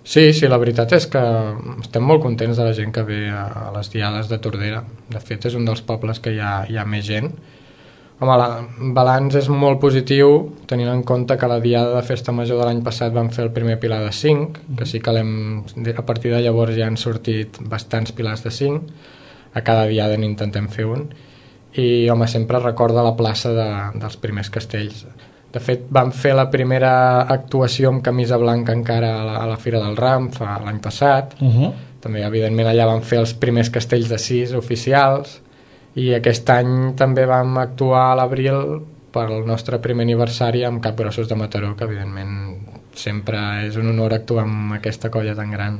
Sí, sí, la veritat és que estem molt contents de la gent que ve a les diades de Tordera. De fet, és un dels pobles que hi ha més gent. Home, el balanç és molt positiu, tenint en compte que la diada de Festa Major de l'any passat vam fer el primer pilar de 5, que sí que a partir de llavors ja han sortit bastants pilars de 5, a cada diada n'intentem fer un, i home, sempre recorda la plaça dels primers castells. De fet, vam fer la primera actuació amb camisa blanca encara a la Fira del Ram l'any passat. També, evidentment, allà vam fer els primers castells de 6 oficials, i aquest any també vam actuar a l'abril per el nostre primer aniversari amb Capgrossos de Mataró, que evidentment sempre és un honor actuar amb aquesta colla tan gran.